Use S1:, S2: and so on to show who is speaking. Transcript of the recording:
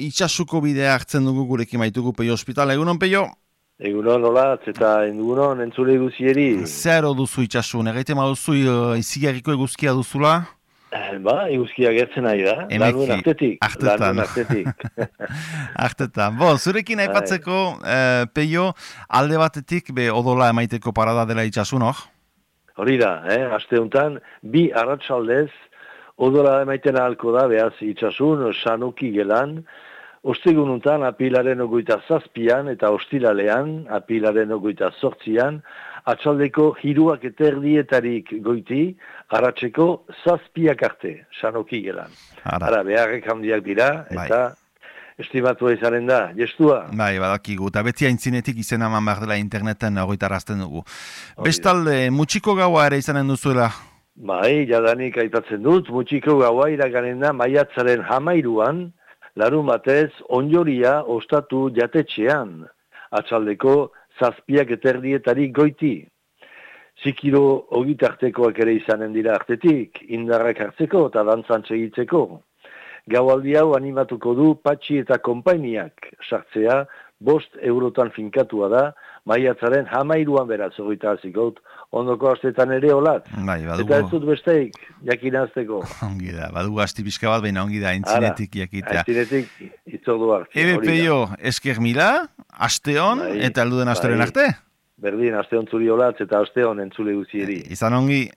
S1: itxasuko bidea hartzen dugu gurekin maitugu Peio Ospital. Egunon, Peio?
S2: Egunon, olatz, eta egunon entzule guzieri.
S1: Zer duzu itxasun? Egaite maduzu izigarriko eguzkia duzula?
S2: Eguzkia gertzen nahi da. Lanuen artetik.
S1: Artetan. Zurekin aipatzeko, Peio, alde batetik odola emaiteko parada dela itxasun, hor?
S2: Hori da, aste honetan, bi arratsaldez odola emaiten ahalko da, behaz itxasun, Sanoki gelan, ostegun honetan, apilaren 27an eta ostiralean, apilaren 28an, atxaldeko 3:30 goiti, arratseko 7 arte, Sanoki gelan. Ara, beharrek handiak dira, eta estimatua izanen da, gestua.
S1: Bai, badakigu, eta beti aintzinetik izena eman behar dela interneten horretarazten dugu. Bestalde, mutxiko gaua ere izanen duzuela?
S2: Bai, jadanik aipatzen dut, mutxiko gaua iraganen da maiatzaren 13an, larun batez, onjoria ostatu jatetxean, atxaldeko 7:30 goiti. Zikiro ogitartekoak ere izanen dira artetik, indarrak hartzeko eta dantzan segitzeko. Gaualdi hau animatuko du Patxi eta konpainiak sartzea, 5 eurotan finkatua da, maiatzaren 13an beraz, horita hazikot, ondoko astetan ere olat. Eta ez dut besteik, jakinazteko.
S1: Ongi da, badugu asti pixka bat, baina ongi da, aintzinetik jakitea.
S2: Aintzinetik itzorduak.
S1: Peio, esker mila, asteon, eta alduden asteren arte?
S2: Berdin, asteon zuri olatz eta asteon entzule guzieri.
S1: Izan ongi.